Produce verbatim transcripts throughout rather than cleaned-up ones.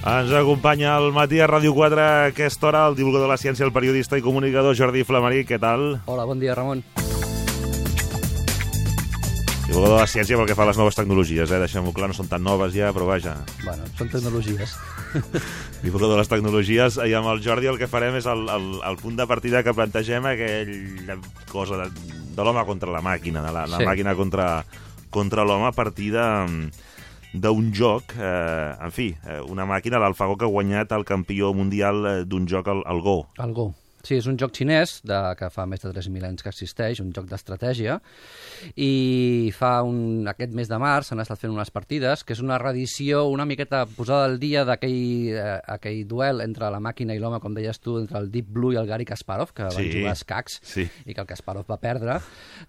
Ens acompanya al matí a Ràdio quatre a aquesta hora el divulgador de la ciència, el periodista i comunicador Jordi Flamarí. Què tal? Hola, bon dia, Ramon. Divulgador de la ciència pel que fa a les noves tecnologies, eh? Deixem-ho clar, no són tan noves ja, però vaja. Bueno, són tecnologies. Divulgador de les tecnologies, i amb el Jordi el que farem és el, el, el punt de partida que plantegem, aquella cosa de, de l'home contra la màquina, de la, la sí. màquina contra, contra l'home a partir de... d'un joc, eh, en fi, eh, una màquina, l'AlphaGo, que ha guanyat el campió mundial d'un joc, el, el Go. El Go. Sí, és un joc xinès de, que fa més de tres mil anys que existeix, un joc d'estratègia, i fa un, aquest mes de març s'han estat fent unes partides, que és una reedició una miqueta posada al dia d'aquell eh, aquell duel entre la màquina i l'home, com deies tu, entre el Deep Blue i el Garry Kasparov, que sí. van jugar a escacs, sí. i que el Kasparov va perdre.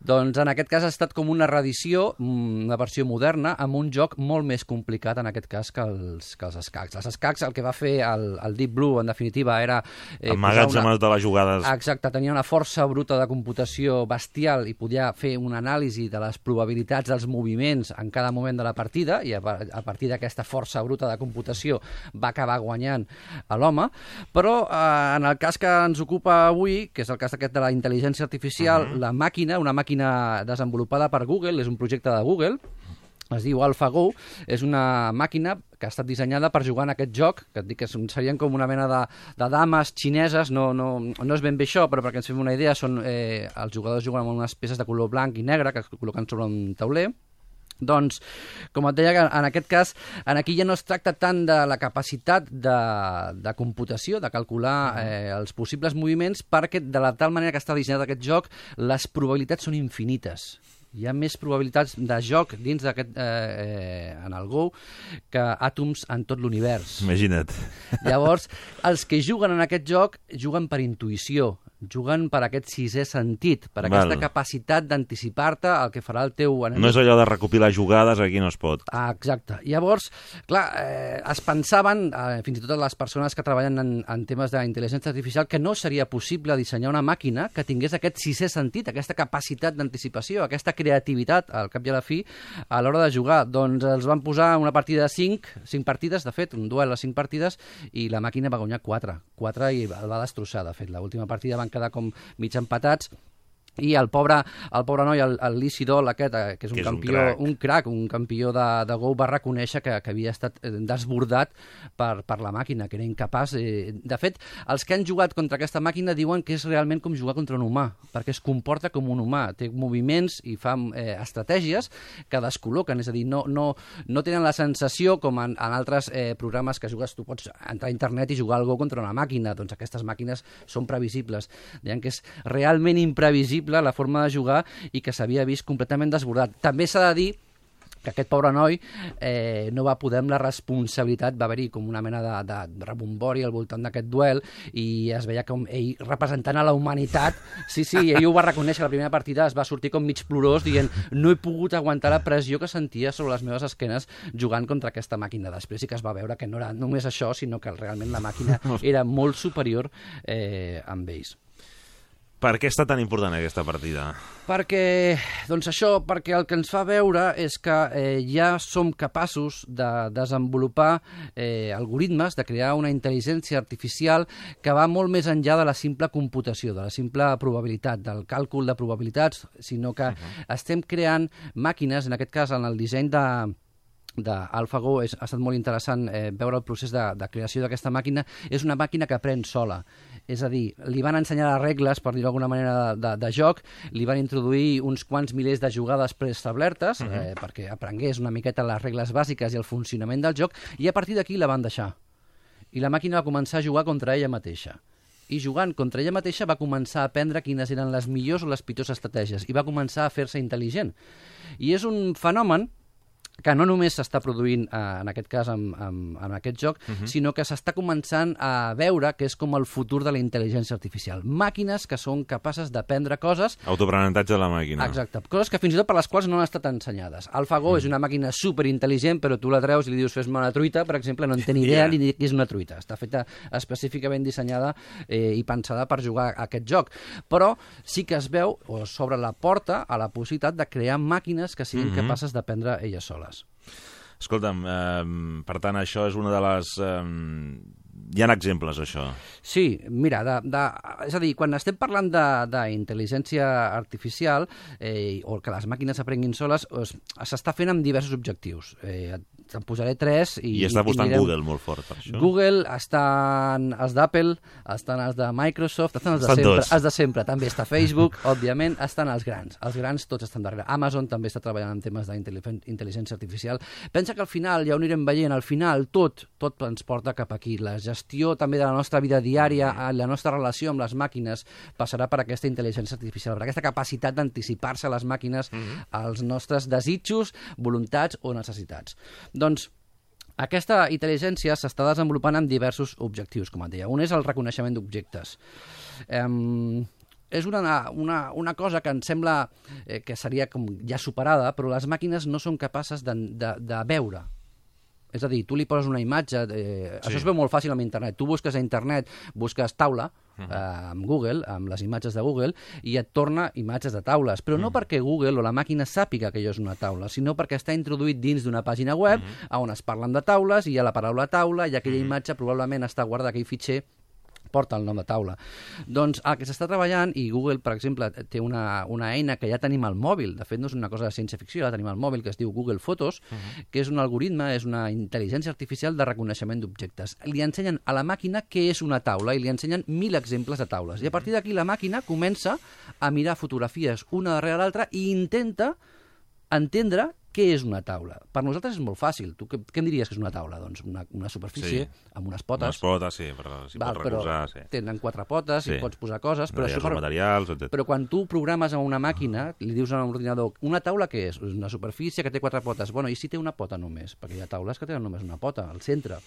Doncs en aquest cas ha estat com una reedició, una versió moderna, amb un joc molt més complicat, en aquest cas, que els, que els escacs. Els escacs, el que va fer el, el Deep Blue, en definitiva, era... Eh, Amagats una... amb de la jugades. Exacte, tenia una força bruta de computació bestial i podia fer una anàlisi de les probabilitats dels moviments en cada moment de la partida, i a, a partir d'aquesta força bruta de computació va acabar guanyant a l'home. Però eh, en el cas que ens ocupa avui, que és el cas aquest de la intel·ligència artificial, uh-huh. la màquina, una màquina desenvolupada per Google, és un projecte de Google, es diu AlphaGo, és una màquina que ha estat dissenyada per jugar en aquest joc, que et dic que serien com una mena de, de dames xineses, no, no, no és ben bé això, però perquè ens fem una idea, són, eh, els jugadors juguen amb unes peces de color blanc i negre que es col·loquen sobre un tauler. Doncs, com et deia, en aquest cas, en aquí ja no es tracta tant de la capacitat de, de computació, de calcular eh, els possibles moviments, perquè de la tal manera que està dissenyat aquest joc, les probabilitats són infinites. Hi ha més probabilitats de joc dins d'aquest eh, eh, en el Go que àtoms en tot l'univers. Imagina't. Llavors, els que juguen en aquest joc juguen per intuïció, juguen per aquest sisè sentit, per aquesta Val. capacitat d'anticipar-te el que farà el teu enemic. No és allò de recopilar jugades, aquí no es pot. Ah, exacte. Llavors, clar, eh, es pensaven, eh, fins i tot les persones que treballen en, en temes d'intel·ligència artificial, que no seria possible dissenyar una màquina que tingués aquest sisè sentit, aquesta capacitat d'anticipació, aquesta creativitat, al cap i a la fi, a l'hora de jugar. Doncs els van posar una partida de cinc, cinc partides, de fet, un duel a cinc partides, i la màquina va guanyar quatre. Quatre i el va destrossar, de fet. L'última partida van quedar com mig empatats, i el pobre, el pobre noi, el, el Lee Sedol aquest, que és un que és campió, un crac, un crac, un campió de, de Go, va reconèixer que, que havia estat desbordat per, per la màquina, que era incapaç. Eh, de fet, els que han jugat contra aquesta màquina diuen que és realment com jugar contra un humà, perquè es comporta com un humà, té moviments i fa eh, estratègies que descol·loquen, és a dir, no, no, no tenen la sensació, com en, en altres eh, programes que jugues, tu pots entrar a internet i jugar al Go contra una màquina, doncs aquestes màquines són previsibles. Deien que és realment imprevisible la forma de jugar i que s'havia vist completament desbordat. També s'ha de dir que aquest pobre noi eh, no va poder amb la responsabilitat, va haver-hi com una mena de, de rebombori al voltant d'aquest duel i es veia com ell representant a la humanitat, sí, sí, ell ho va reconèixer, la primera partida es va sortir com mig plorós dient no he pogut aguantar la pressió que sentia sobre les meves esquenes jugant contra aquesta màquina. Després sí que es va veure que no era només això, sinó que realment la màquina era molt superior eh, amb ells. Per què està tan important aquesta partida? Perquè, doncs això, perquè el que ens fa veure és que eh, ja som capaços de desenvolupar eh, algoritmes, de crear una intel·ligència artificial que va molt més enllà de la simple computació, de la simple probabilitat, del càlcul de probabilitats, sinó que uh-huh. estem creant màquines, en aquest cas en el disseny de d'AlphaGo ha estat molt interessant eh, veure el procés de, de creació d'aquesta màquina. És una màquina que aprèn sola. És a dir, li van ensenyar les regles, per dir-ho d'alguna manera, de, de, de joc, li van introduir uns quants milers de jugades preestablertes, uh-huh. eh, perquè aprengués una miqueta les regles bàsiques i el funcionament del joc, i a partir d'aquí la van deixar. I la màquina va començar a jugar contra ella mateixa. I jugant contra ella mateixa va començar a aprendre quines eren les millors o les pitjors estratègies, i va començar a fer-se intel·ligent. I és un fenomen que no només s'està produint, eh, en aquest cas, amb, amb, amb aquest joc, uh-huh. sinó que s'està començant a veure que és com el futur de la intel·ligència artificial. Màquines que són capaces d'aprendre coses... Autoaprenentatge de la màquina. Exacte. Coses que fins i tot per les quals no han estat ensenyades. AlphaGo uh-huh. és una màquina superintel·ligent, però tu la treus i li dius fes-me una truita, per exemple, no en té ni idea yeah. ni què és una truita. Està feta específicament dissenyada eh, i pensada per jugar a aquest joc. Però sí que es veu, o s'obre la porta a la possibilitat de crear màquines que siguin uh-huh. capaces d'aprendre elles soles. Escolta'm, eh, per tant, això és una de les... Eh, hi ha exemples, això. Sí, mira, de, de, és a dir, quan estem parlant d'intel·ligència artificial eh, o que les màquines aprenguin soles, s'està fent amb diversos objectius. Eh, te'n posaré tres i... I està apostant mirem... Google molt fort per això. Google, estan els d'Apple, estan els de Microsoft, estan els de estan sempre, tots. els de sempre. També està Facebook, òbviament, estan els grans. Els grans tots estan darrere. Amazon també està treballant en temes d'intel·ligència artificial. Pensa que al final, ja ho anirem veient, al final tot, tot ens porta cap aquí. La gestió també de la nostra vida diària, la nostra relació amb les màquines passarà per aquesta intel·ligència artificial, per aquesta capacitat d'anticipar-se a les màquines mm-hmm. als nostres desitjos, voluntats o necessitats. Doncs aquesta intel·ligència s'està desenvolupant amb diversos objectius, com et deia. Un és el reconeixement d'objectes. Um, és una, una, una cosa que em sembla eh, que seria com ja superada, però les màquines no són capaces de, de, de veure. És a dir, tu li poses una imatge, eh, sí. Això es veu molt fàcil amb internet. Tu busques a internet, busques taula, uh-huh. eh, amb Google, amb les imatges de Google, i et torna imatges de taules. Però no uh-huh. perquè Google o la màquina sàpiga que allò és una taula, sinó perquè està introduït dins d'una pàgina web uh-huh. on es parlen de taules, i hi ha la paraula taula, i aquella uh-huh. imatge probablement està guardada, aquell fitxer porta el nom de taula. Doncs el que s'està treballant, i Google, per exemple, té una, una eina que ja tenim al mòbil, de fet no és una cosa de ciència-ficció, ja tenim al mòbil, que es diu Google Fotos, uh-huh. que és un algoritme, és una intel·ligència artificial de reconeixement d'objectes. Li ensenyen a la màquina què és una taula i li ensenyen mil exemples de taules. I a partir d'aquí la màquina comença a mirar fotografies una darrere l'altra i intenta entendre què és una taula. Per nosaltres és molt fàcil. Tu què, què em diries que és una taula? Doncs una, una superfície sí. amb unes potes. Unes potes, sí, però s'hi pot recolzar. Sí. Tenen quatre potes, sí. i pots posar coses. Però, això per... materials, etcètera. Però quan tu programes a una màquina, li dius a un ordinador, una taula què és? Una superfície que té quatre potes. Bueno, i si té una pota només? Perquè hi ha taules que tenen només una pota, al centre.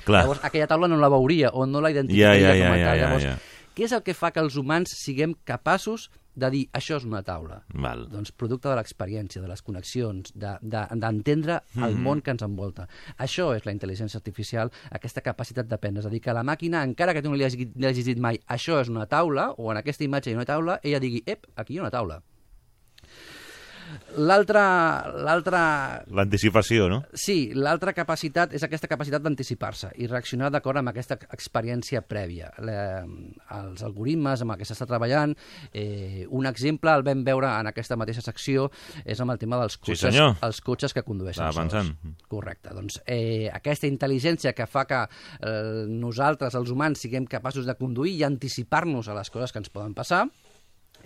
Clar. Llavors, aquella taula no la veuria o no la identificaria ja, ja, com a ja, tal. ja, Llavors, ja, ja. què és el que fa que els humans siguem capaços de dir això és una taula? Val. Doncs producte de l'experiència, de les connexions, d'entendre de, de, el mm-hmm. món que ens envolta. Això és la intel·ligència artificial, aquesta capacitat d'aprendre. És a dir, que la màquina, encara que tu no li hagis, li hagis dit mai això és una taula, o en aquesta imatge hi ha una taula, ella digui, ep, aquí hi ha una taula. L'altra... L'anticipació, no? Sí, l'altra capacitat és aquesta capacitat d'anticipar-se i reaccionar d'acord amb aquesta experiència prèvia. La, els algoritmes amb què s'està treballant, eh, un exemple el vam veure en aquesta mateixa secció, és amb el tema dels cotxes, sí, els cotxes que condueixen Estava sols. Pensant. Correcte. Doncs eh, aquesta intel·ligència que fa que eh, nosaltres, els humans, siguem capaços de conduir i anticipar-nos a les coses que ens poden passar,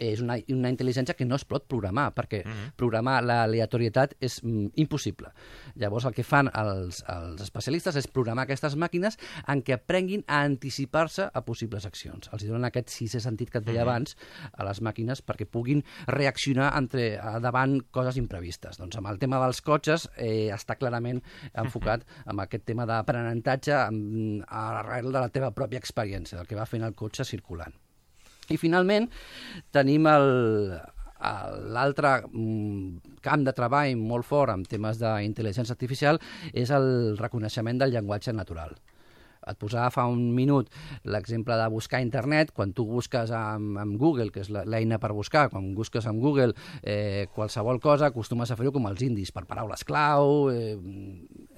és una, una intel·ligència que no es pot programar, perquè uh-huh. programar l'aleatorietat és mm, impossible. Llavors el que fan els, els especialistes és programar aquestes màquines en què aprenguin a anticipar-se a possibles accions. Els donen aquest sisè sentit que et deia uh-huh. abans a les màquines perquè puguin reaccionar entre, davant coses imprevistes. Doncs amb el tema dels cotxes eh, està clarament enfocat uh-huh. amb aquest tema d'aprenentatge arrel de la teva pròpia experiència, del que va fent el cotxe circulant. I finalment tenim l'altre camp de treball molt fort en temes d'intel·ligència artificial, és el reconeixement del llenguatge natural. Et posava fa un minut l'exemple de buscar a internet. Quan tu busques amb, amb Google, que és l'eina per buscar, quan busques amb Google eh, qualsevol cosa, acostumes a fer-ho com els indis, per paraules clau, eh,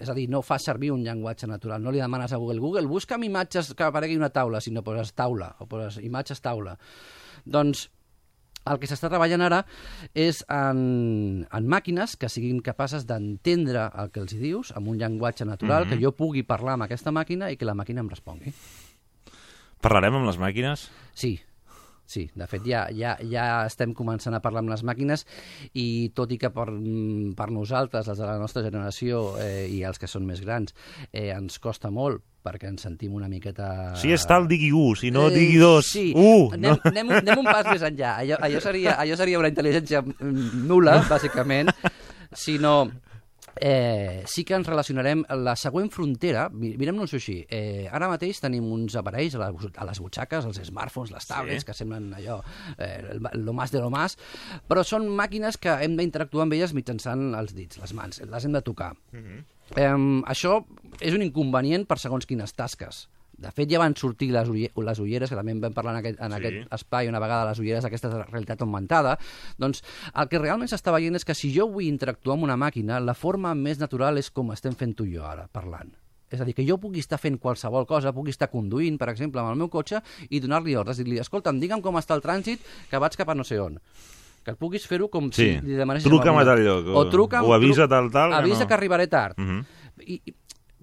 és a dir, no fas servir un llenguatge natural, no li demanes a Google, Google, busca'm imatges que aparegui una taula, sinó poses taula, o poses imatges taula. Doncs el que s'està treballant ara és en, en màquines que siguin capaces d'entendre el que els hi dius amb un llenguatge natural, mm-hmm. que jo pugui parlar amb aquesta màquina i que la màquina em respongui. Parlarem amb les màquines? Sí. Sí, de fet ja, ja, ja estem començant a parlar amb les màquines i tot i que per, per nosaltres, els de la nostra generació eh, i els que són més grans, eh, ens costa molt perquè ens sentim una miqueta... Si és tal, digui u, si no, digui dos. Sí, uh, anem, no. anem, anem un pas més enllà. Allò, allò, seria, allò seria una intel·ligència nul·la, bàsicament, sinó... Eh, sí que ens relacionarem la següent frontera, mirem-nos així, eh, ara mateix tenim uns aparells a, la, a les butxaques, els smartphones, les tablets, sí. que semblen allò, eh, lo más de lo más, però són màquines que hem d'interactuar amb elles mitjançant els dits, les mans, les hem de tocar. Mm-hmm. eh, això és un inconvenient per segons quines tasques. De fet, ja van sortir les, les ulleres, que també en vam parlar en aquest, en sí. aquest espai una vegada, les ulleres d'aquesta realitat augmentada. Doncs el que realment s'està veient és que si jo vull interactuar amb una màquina, la forma més natural és com estem fent tu i jo ara, parlant. És a dir, que jo pugui estar fent qualsevol cosa, pugui estar conduint, per exemple, amb el meu cotxe i donar-li ordres, dir-li, escolta'm, digue'm com està el trànsit, que vaig cap a no sé on. Que et puguis fer-ho com sí. si li demanessis... Truca'm a tal lloc, o, o, truca'm, o avisa tal tal... Avisa que, no. que arribaré tard. Uh -huh. I, i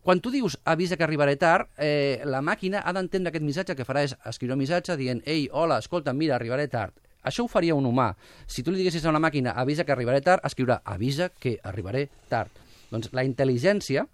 quan tu dius avisa que arribaré tard, eh, la màquina ha d'entendre aquest missatge. El que farà és escriure un missatge dient ei, hola, escolta, mira, arribaré tard. Això ho faria un humà. Si tu li diguessis a una màquina avisa que arribaré tard, escriurà avisa que arribaré tard. Doncs la intel·ligència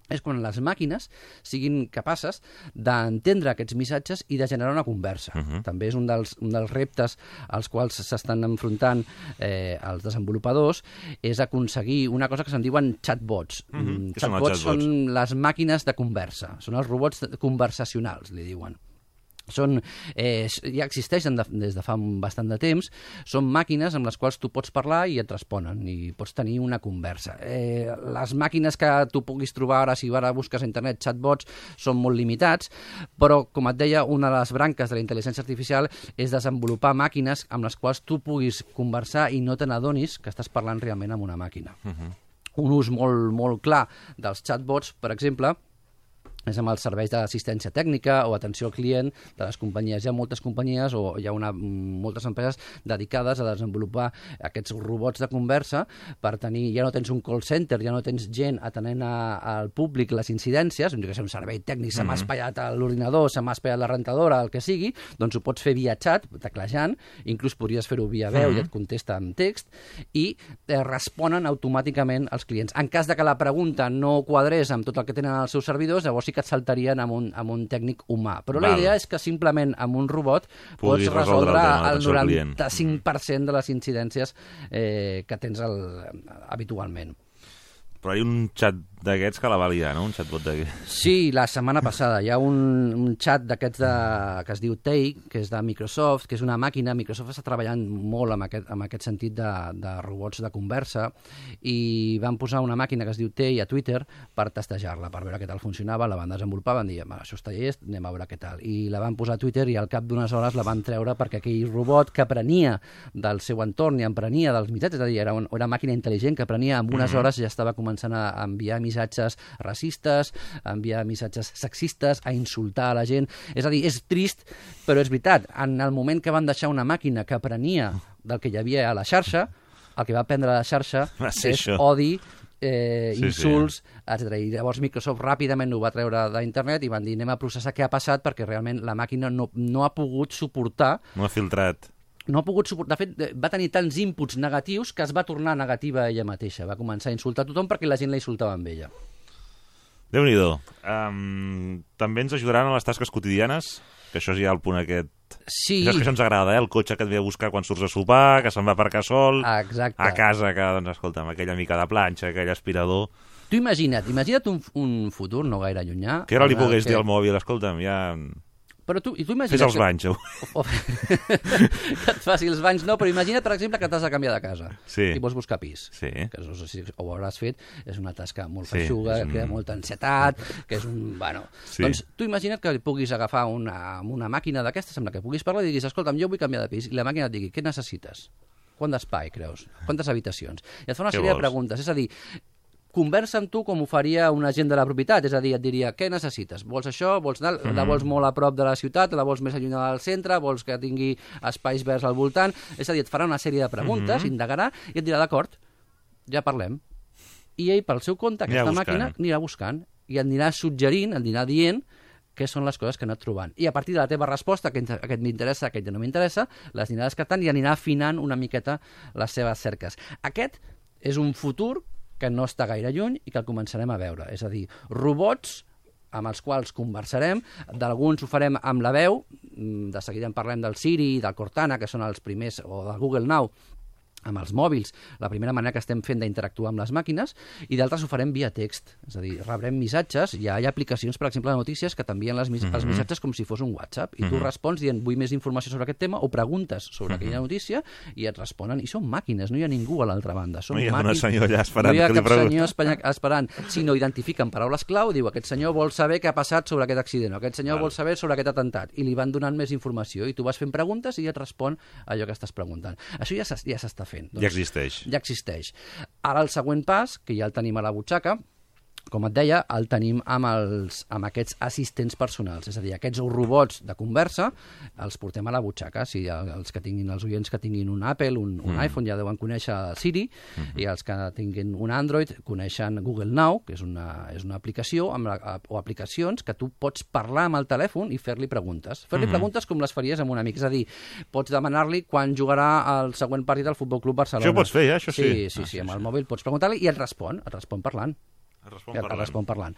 és quan les màquines siguin capaces d'entendre aquests missatges i de generar una conversa. Uh -huh. També és un dels, un dels reptes als quals s'estan enfrontant eh, els desenvolupadors, és aconseguir una cosa que se'n diuen chatbots. Uh -huh. Chatbots són, són les màquines de conversa, són els robots conversacionals, li diuen. Són, eh, ja existeixen de, des de fa bastant de temps, són màquines amb les quals tu pots parlar i et responen, i pots tenir una conversa. Eh, les màquines que tu puguis trobar ara, si ara busques a internet chatbots, són molt limitats, però, com et deia, una de les branques de la intel·ligència artificial és desenvolupar màquines amb les quals tu puguis conversar i no te n'adonis que estàs parlant realment amb una màquina. Uh-huh. Un ús molt, molt clar dels chatbots, per exemple, és amb els serveis d'assistència tècnica o atenció al client de les companyies. Hi ha moltes companyies o hi ha una, moltes empreses dedicades a desenvolupar aquests robots de conversa per tenir, ja no tens un call center, ja no tens gent atenent a, al públic les incidències, doncs que és un servei tècnic, se m'ha espatllat l'ordinador, se m'ha espatllat la rentadora, el que sigui, doncs ho pots fer via xat, teclejant, inclús podries fer-ho via veu, uh-huh. i et contesta en text, i eh, responen automàticament als clients. En cas de que la pregunta no quadrés amb tot el que tenen als seus servidors, llavors sí que et saltarien amb un, amb un tècnic humà. Però Val. La idea és que simplement amb un robot pots resoldre, resoldre el, el noranta-cinc per cent de les incidències eh, que tens el, habitualment. Però hi ha un xat d'aquests que la va liar, no? Un xatbot d'aquests. Sí, la setmana passada. Hi ha un, un xat d'aquests que es diu Tay, que és de Microsoft, que és una màquina. Microsoft està treballant molt amb aquest, amb aquest sentit de, de robots de conversa, i van posar una màquina que es diu Tay a Twitter per testejar-la, per veure què tal funcionava. La van desenvolupar, van dir, això està llest, anem a veure què tal. I la van posar a Twitter i al cap d'unes hores la van treure perquè aquell robot que aprenia del seu entorn i aprenia dels missatges, és a dir, era una màquina intel·ligent que aprenia, en unes hores ja estava començant a enviar missatges racistes, a enviar missatges sexistes, a insultar a la gent. És a dir, és trist, però és veritat. En el moment que van deixar una màquina que aprenia del que hi havia a la xarxa, el que va aprendre a la xarxa és això. Odi, eh, sí, insults, sí. etcètera. I llavors Microsoft ràpidament ho va treure d'internet i van dir, anem a processar què ha passat, perquè realment la màquina no, no ha pogut suportar... No ha filtrat... No ha pogut suportar. De fet, va tenir tants inputs negatius que es va tornar negativa a ella mateixa. Va començar a insultar a tothom perquè la gent la insultava amb ella. Déu-n'hi-do. Um, també ens ajudaran a les tasques quotidianes, que això és ja el punt aquest... Sí. Saps que això ens agrada, eh? El cotxe que et ve a buscar quan surts a sopar, que se'n va aparcar sol... Exacte. A casa, que, doncs, escolta'm, aquella mica de planxa, aquell aspirador... Tu imagina't, imagina't un, un futur no gaire llunyà... Que ara li pogués que... dir al mòbil, escolta'm, ja... Però tu, i tu imagina't... Fes els banys. Que... O... que et faci els banys, no, però imagina't, per exemple, que t'has de canviar de casa sí. i vols buscar pis. Sí. Que no sé si ho hauràs fet, és una tasca molt sí, feixuga, un... que ha molta ansietat, que és un... Bueno, sí. Doncs tu imagina't que puguis agafar una, una màquina d'aquestes amb la que puguis parlar i diguis, escolta'm, jo vull canviar de pis, i la màquina et digui, què necessites? Quant d'espai, creus? Quantes habitacions? I et fa una sèrie de preguntes, és a dir, conversa amb tu com ho faria un agent de la propietat, és a dir, et diria, què necessites? Vols això? Vols anar? Mm. La vols molt a prop de la ciutat? La vols més allunyada del centre? Vols que tingui espais verds al voltant? És a dir, et farà una sèrie de preguntes, mm -hmm. indagarà, i et dirà, d'acord, ja parlem. I ell, pel seu compte, aquesta màquina anirà buscant, i et anirà suggerint, et anirà dient què són les coses que ha anat trobant. I a partir de la teva resposta, que aquest m'interessa, aquest no m'interessa, les anirà descartant i anirà afinant una miqueta les seves cerques. Aquest és un futur que no està gaire lluny i que el començarem a veure. És a dir, robots amb els quals conversarem, d'alguns ho farem amb la veu, de seguida en parlem del Siri, del Cortana, que són els primers, o del Google Now, amb els mòbils, la primera manera que estem fent d'interactuar amb les màquines, i d'altres ho farem via text. És a dir, rebrem missatges, hi ha, hi ha aplicacions, per exemple, de notícies que t'envien les, mm -hmm. els missatges com si fos un WhatsApp, i tu mm -hmm. respons dient, vull més informació sobre aquest tema, o preguntes sobre mm -hmm. aquella notícia, i et responen, i són màquines, no hi ha ningú a l'altra banda. Són no hi ha màquines, un senyor allà esperant. No hi ha que li cap senyor esperant, sinó identifiquen paraules clau, diu, aquest senyor vol saber què ha passat sobre aquest accident, o aquest senyor Val. vol saber sobre aquest atemptat, i li van donant més informació, i tu vas fent preguntes i et respon allò que estàs preguntant. Això ja s'està fent. Ja existeix. Ja existeix. Ara el següent pas, que ja el tenim a la butxaca, com et deia, el tenim amb, els, amb aquests assistents personals, és a dir, aquests robots de conversa els portem a la butxaca. Si els que tinguin, els oients que tinguin un Apple, un, un mm. iPhone, ja deuen conèixer Siri, mm -hmm. i els que tinguin un Android coneixen Google Now, que és una, és una aplicació amb la, o aplicacions que tu pots parlar amb el telèfon i fer-li preguntes. Fer-li mm -hmm. preguntes com les faries amb un amic, és a dir, pots demanar-li quan jugarà el següent partit del Futbol Club Barcelona. Això ho pots fer, ja? Això sí? Sí, sí, ah, sí, sí, amb sí. el mòbil pots preguntar-li i et respon, et respon parlant. Es respon parlant. Es respon parlant.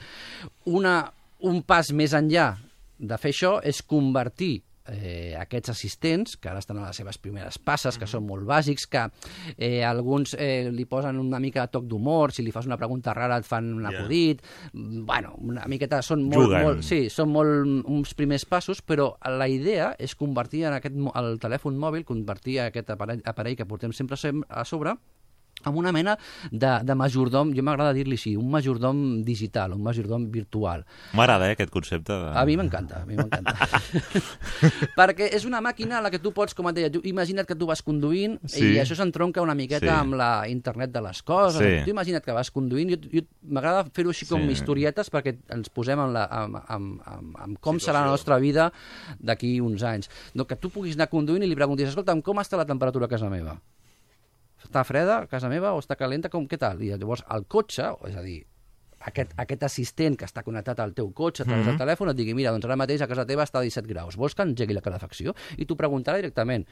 Una, un pas més enllà de fer això és convertir eh, aquests assistents, que ara estan a les seves primeres passes, que són molt bàsics, que eh, alguns eh, li posen una mica de toc d'humor, si li fas una pregunta rara et fan un acudit, yeah. bueno, una miqueta, són molt, molt, sí, són molt uns primers passos, però la idea és convertir en aquest, el telèfon mòbil, convertir aquest aparell, aparell que portem sempre a sobre, amb una mena de, de majordom, jo m'agrada dir-li així, un majordom digital, un majordom virtual. M'agrada, eh, aquest concepte. De... A mi m'encanta, a mi m'encanta. Perquè és una màquina a la que tu pots, com et deia, tu, imagina't que tu vas conduint sí. i això s'entronca una miqueta sí. amb la internet de les coses. Sí. Tu imagina't que vas conduint, jo, jo m'agrada fer-ho així com sí. historietes perquè ens posem en, la, en, en, en, en com Situació. serà la nostra vida d'aquí uns anys. No, que tu puguis anar conduint i li preguntis, escolta'm, com està la temperatura a casa meva? Està freda a casa meva o està calenta? Com, què tal? I llavors el cotxe, és a dir, aquest, aquest assistent que està connectat al teu cotxe a través mm -hmm. del telèfon et digui, mira, doncs ara mateix a casa teva està a disset graus, vols que engegui la calefacció? I tu preguntarà directament.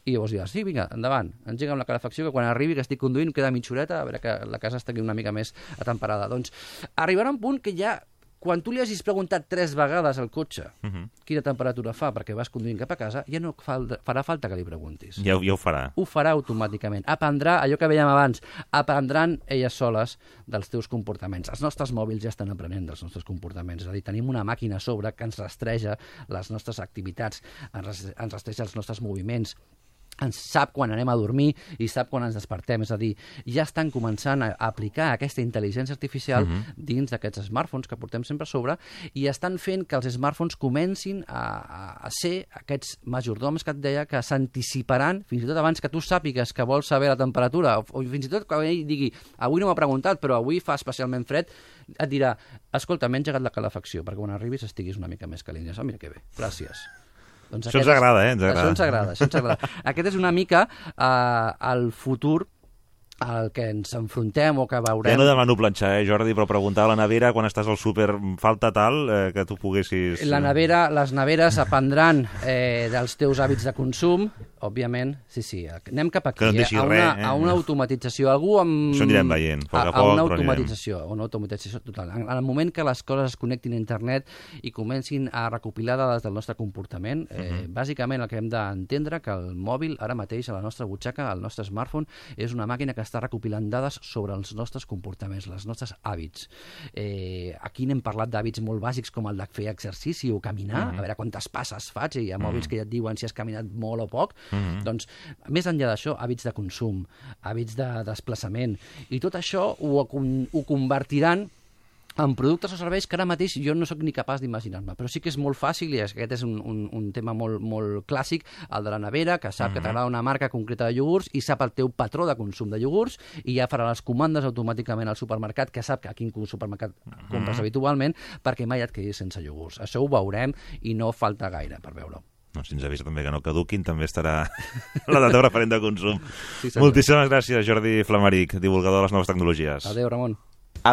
I llavors diràs, sí, vinga, endavant, engega'm la calefacció, que quan arribi, que estic conduint, queda mitja horeta, a veure que la casa estigui una mica més atemperada. Doncs arribarà un punt que ja, quan tu li hagis preguntat tres vegades al cotxe uh -huh. quina temperatura fa perquè vas conduint cap a casa, ja no falta, farà falta que li preguntis. Ja, ja ho farà. Ho farà automàticament. Aprendrà, allò que veiem abans, aprendran elles soles dels teus comportaments. Els nostres mòbils ja estan aprenent dels nostres comportaments. És a dir, tenim una màquina a sobre que ens rastreja les nostres activitats, ens rastreja els nostres moviments, ens sap quan anem a dormir i sap quan ens despertem. És a dir, ja estan començant a aplicar aquesta intel·ligència artificial uh-huh. dins d'aquests smartphones que portem sempre a sobre i estan fent que els smartphones comencin a, a ser aquests majordoms que et deia que s'anticiparan, fins i tot abans que tu sàpigues que vols saber la temperatura, o, o fins i tot que ell digui, avui no m'ha preguntat, però avui fa especialment fred, et dirà, escolta, m'he engegat la calefacció, perquè quan arribis estiguis una mica més calent. I oh, mira que bé, gràcies. Doncs això ens agrada, eh? Ens agrada. Això ens agrada, això ens agrada. Aquest és una mica eh, el futur al que ens enfrontem o que veurem... Ja no demano planxar, eh, Jordi, però preguntar a la nevera quan estàs al súper falta tal eh, que tu poguessis... La nevera, les neveres aprendran eh, dels teus hàbits de consum, òbviament, sí, sí, anem cap aquí, que no eh, a, una, res, eh? a una automatització. Algú amb... Això anirem veient, poc a, a, poc, a una però automatització, anirem. Una automatització total. En, en el moment que les coses es connectin a internet i comencin a recopilar dades del nostre comportament, eh, uh -huh. bàsicament el que hem d'entendre que el mòbil, ara mateix, a la nostra butxaca, el nostre smartphone, és una màquina que està recopilant dades sobre els nostres comportaments, els nostres hàbits. Eh, aquí n'hem parlat d'hàbits molt bàsics com el de fer exercici o caminar, uh-huh. a veure quantes passes faig, i hi ha mòbils uh-huh. que ja et diuen si has caminat molt o poc. Uh-huh. Doncs, més enllà d'això, hàbits de consum, hàbits de desplaçament, i tot això ho, ho convertiran en productes o serveis que ara mateix jo no sóc ni capaç d'imaginar-me, però sí que és molt fàcil, i aquest és un, un, un tema molt, molt clàssic, el de la nevera, que sap uh-huh. que t'agrada una marca concreta de iogurts i sap el teu patró de consum de iogurts i ja farà les comandes automàticament al supermercat, que sap que a quin supermercat uh-huh. compres habitualment, perquè mai et quedis sense iogurts. Això ho veurem i no falta gaire per veure-ho. No, si ens avisa també que no caduquin, també estarà la data referent de consum. Sí, moltíssimes gràcies, Jordi Flamaric, divulgador de les noves tecnologies. Adéu, Ramon.